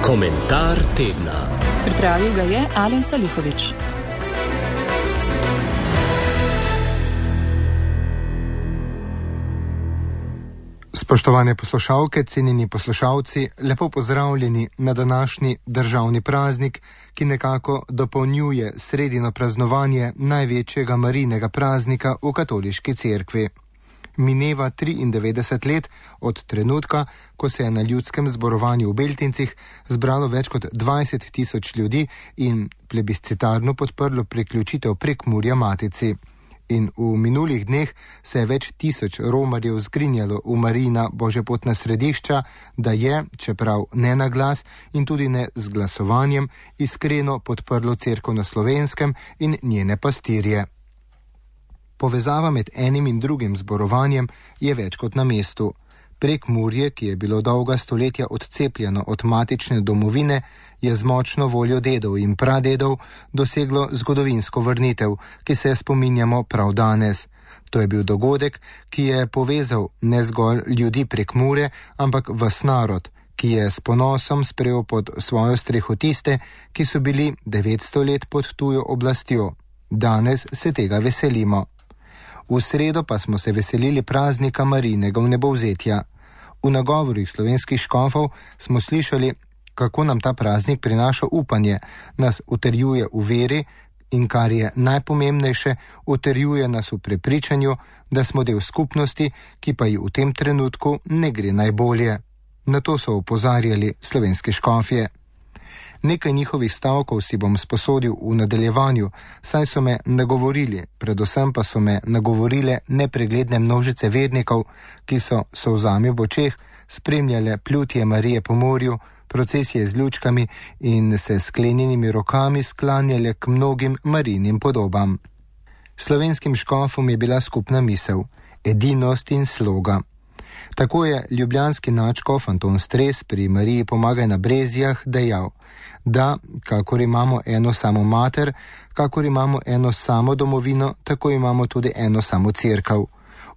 Komentar tedna. Pripravil ga je Alen Salihović. Spoštovane poslušalke, cenjeni poslušalci, lepo pozdravljeni na današnji državni praznik, ki nekako dopolnjuje sredino praznovanje največjega Marijinega praznika v katoliški cerkvi. Mineva 93 let od trenutka, ko se je na ljudskem zborovanju v Beltincih zbralo več kot 20 tisoč ljudi in plebiscitarno podprlo priključitev Prekmurja Matici. In v minulih dneh se je več tisoč romarjev zgrinjalo v Marijina božjepotna središča, da je, čeprav ne na glas in tudi ne z glasovanjem, iskreno podprlo cerkev na Slovenskem in njene pastirje. Povezava med enim in drugim zborovanjem je več kot na mestu. Prekmurje, ki je bilo dolga stoletja odcepljeno od matične domovine, je z močno voljo dedov in pradedov doseglo zgodovinsko vrnitev, ki se spominjamo prav danes. To je bil dogodek, ki je povezal ne zgolj ljudi Prekmure, ampak ves narod, ki je s ponosom sprejel pod svojo streho tiste, ki so bili 900 let pod tujo oblastjo. Danes se tega veselimo. V sredo pa smo se veselili praznika Marijinega vnebovzetja. V nagovorih slovenskih škofov smo slišali, kako nam ta praznik prinaša upanje, nas utrjuje v veri in, kar je najpomembnejše, utrjuje nas v prepričanju, da smo del skupnosti, ki pa ji v tem trenutku ne gre najbolje. Na to so opozarjali slovenski škofje. Nekaj njihovih stavkov si bom sposodil v nadaljevanju, saj so me nagovorili, predvsem pa so me nagovorile nepregledne množice vernikov, ki so solzami v očeh spremljale plutje Marije po morju, procesije z lučkami in se sklenjenimi rokami sklanjale k mnogim Marijinim podobam. Slovenskim škofom je bila skupna misel, edinost in sloga. Tako je ljubljanski nadškof Anton Stres pri Mariji Pomagaj na Brezjah dejal, da kakor imamo eno samo mater, kakor imamo eno samo domovino, tako imamo tudi eno samo cerkev.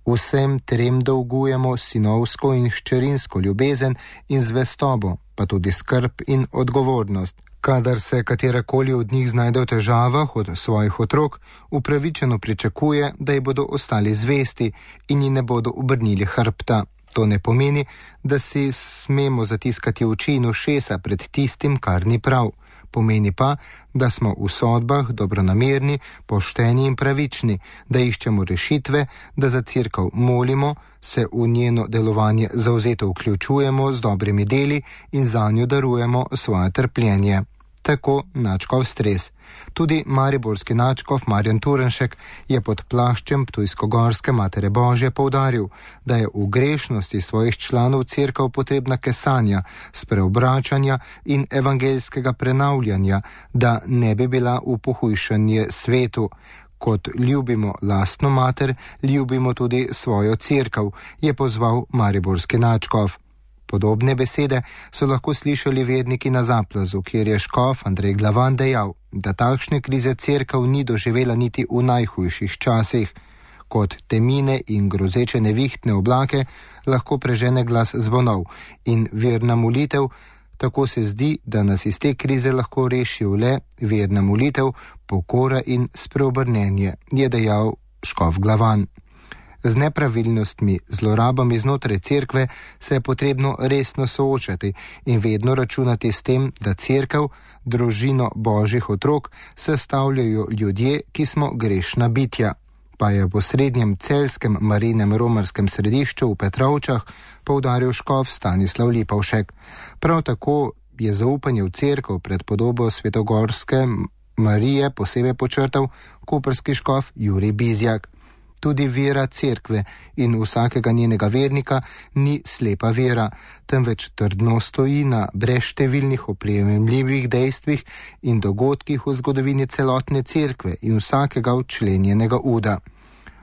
Vsem trem dolgujemo sinovsko in hčerinsko ljubezen in zvestobo, pa tudi skrb in odgovornost. Kadar se katerakoli od njih znajde v težavah od svojih otrok, upravičeno pričakuje, da ji bodo ostali zvesti in ji ne bodo obrnili hrbta. To ne pomeni, da si smemo zatiskati oči in ušesa pred tistim, kar ni prav. Pomeni pa, da smo v sodbah dobronamerni, pošteni in pravični, da iščemo rešitve, da za cerkev molimo, se v njeno delovanje zavzeto vključujemo z dobrimi deli in zanjo darujemo svoje trpljenje. Tako nadškof Stres. Tudi mariborski nadškof Marjan Turnšek je pod plaščem Ptujsko-Gorske Matere Božje poudaril, da je v grešnosti svojih članov cerkev potrebna kesanja, spreobračanja in evangeljskega prenavljanja, da ne bi bila v pohujšanje svetu. Kot ljubimo lastno mater, ljubimo tudi svojo cerkev, je pozval mariborski nadškof. Podobne besede so lahko slišali verniki na Zaplazu, kjer je škof Andrej Glavan dejal, da takšne krize cerkev ni doživela niti v najhujših časih. Kot temine in grozeče nevihtne oblake lahko prežene glas zvonov in verna molitev, tako se zdi, da nas iz te krize lahko reši le verna molitev, pokora in spreobrnenje, je dejal škof Glavan. Z nepravilnostmi, zlorabami znotraj cerkve se je potrebno resno soočati in vedno računati s tem, da cerkev, družino božjih otrok, sestavljajo ljudje, ki smo grešna bitja. Pa je v osrednjem celjskem Marijinem romarskem središču v Petrovčah poudaril škof Stanislav Lipovšek. Prav tako je zaupanje v cerkev pred podobo svetogorske Marije posebej počrtal koprski škof Jurij Bizjak. Tudi vera cerkve in vsakega njenega vernika ni slepa vera, temveč trdno stoji na brezštevilnih oprijemljivih dejstvih in dogodkih v zgodovini celotne cerkve in vsakega včlenjenega uda.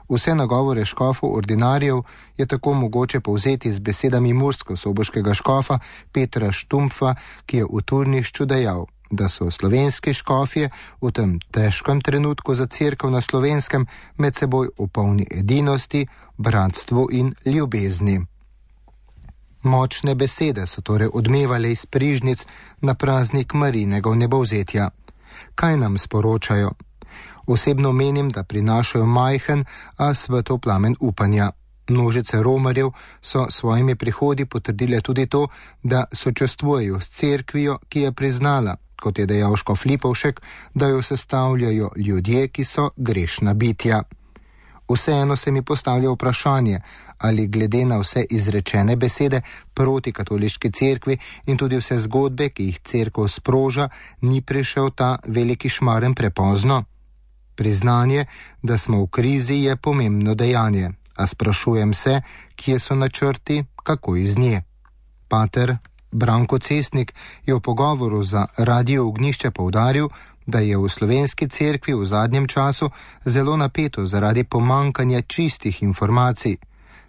Vse nagovore škofov ordinarjev je tako mogoče povzeti z besedami mursko-soboškega škofa Petra Štumpfa, ki je v Turnišču dejal, da so slovenski škofje v tem težkem trenutku za cerkev na Slovenskem med seboj v polni edinosti, bratstvu in ljubezni. Močne besede so torej odmevale iz prižnic na praznik Marijinega vnebovzetja. Kaj nam sporočajo? Osebno menim, da prinašajo majhen, a svetloplamen upanja. Množice romarjev so svojimi prihodi potrdile tudi to, da sočustvujejo s cerkvijo, ki je priznala, kot je dejal škof Lipovšek, da jo sestavljajo ljudje, ki so grešna bitja. Vseeno se mi postavlja vprašanje, ali glede na vse izrečene besede proti katoliški cerkvi in tudi vse zgodbe, ki jih cerkev sproža, ni prišel ta veliki šmaren prepozno. Priznanje, da smo v krizi, je pomembno dejanje, a sprašujem se, kje so načrti, kako iz nje. Pater Branko Cestnik je v pogovoru za Radio Ognjišče poudaril, da je v slovenski cerkvi v zadnjem času zelo napeto zaradi pomankanja čistih informacij.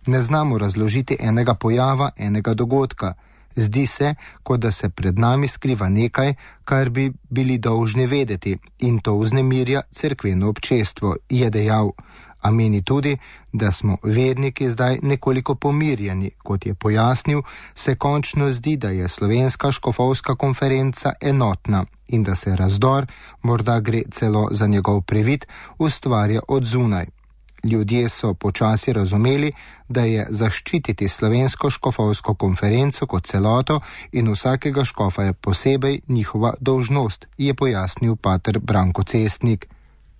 Ne znamo razložiti enega pojava, enega dogodka. Zdi se, kot da se pred nami skriva nekaj, kar bi bili dolžni vedeti, in to vznemirja cerkveno občestvo, je dejal. A meni tudi, da smo verniki zdaj nekoliko pomirjeni, kot je pojasnil, se končno zdi, da je slovenska škofovska konferenca enotna in da se razdor, morda gre celo za njegov privid, ustvarja od zunaj. Ljudje so počasi razumeli, da je zaščititi slovensko škofovsko konferenco kot celoto in vsakega škofa je posebej njihova dolžnost, je pojasnil pater Branko Cestnik.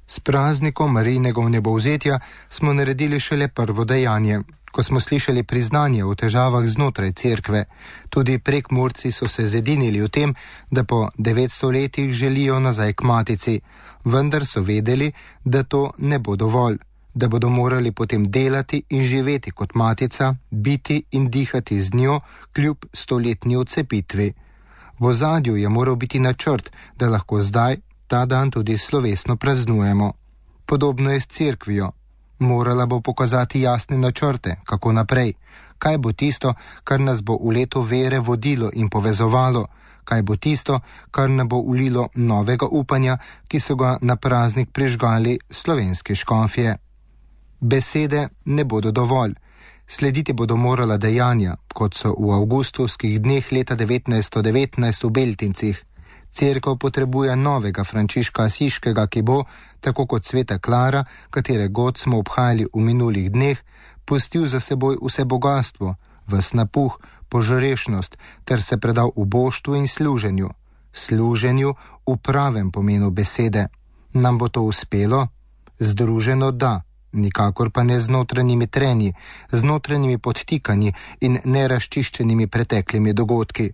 S praznikom Marijinega vnebovzetja smo naredili šele prvo dejanje, ko smo slišali priznanje o težavah znotraj cerkve. Tudi Prekmurci so se zedinili v tem, da po 900 letih želijo nazaj k matici, vendar so vedeli, da to ne bo dovolj, da bodo morali potem delati in živeti kot matica, biti in dihati z njo kljub 100-letni odcepitvi. V ozadju je moral biti načrt, da lahko zdaj ta dan tudi slovesno praznujemo. Podobno je s cerkvijo. Morala bo pokazati jasne načrte, kako naprej. Kaj bo tisto, kar nas bo v leto vere vodilo in povezovalo? Kaj bo tisto, kar nam bo ulilo novega upanja, ki so ga na praznik prižgali slovenski škofje? Besede ne bodo dovolj. Slediti bodo morala dejanja, kot so v avgustovskih dneh leta 1919 v Beltincih. Cerkev potrebuje novega Frančiška Asiškega, ki bo, tako kot sveta Klara, katere god smo obhajali v minulih dneh, pustil za seboj vse bogatstvo, ves napuh, požrešnost, ter se predal uboštvu in služenju. Služenju v pravem pomenu besede. Nam bo to uspelo? Združeno da, nikakor pa ne z notranjimi trenji, z notranjimi podtikanji in neraščiščenimi preteklimi dogodki.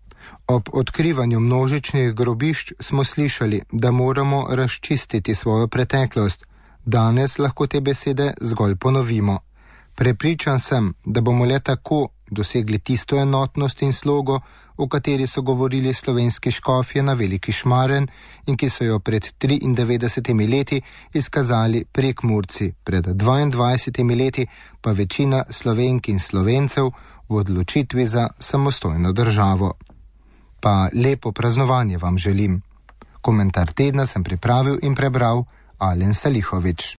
Ob odkrivanju množičnih grobišč smo slišali, da moramo razčistiti svojo preteklost. Danes lahko te besede zgolj ponovimo. Prepričan sem, da bomo le tako dosegli tisto enotnost in slogo, o kateri so govorili slovenski škofje na Veliki Šmaren in ki so jo pred 93 leti izkazali Prekmurci, pred 22 leti pa večina Slovenk in Slovencev v odločitvi za samostojno državo. Pa lepo praznovanje vam želim. Komentar tedna sem pripravil in prebral Alen Salihovič.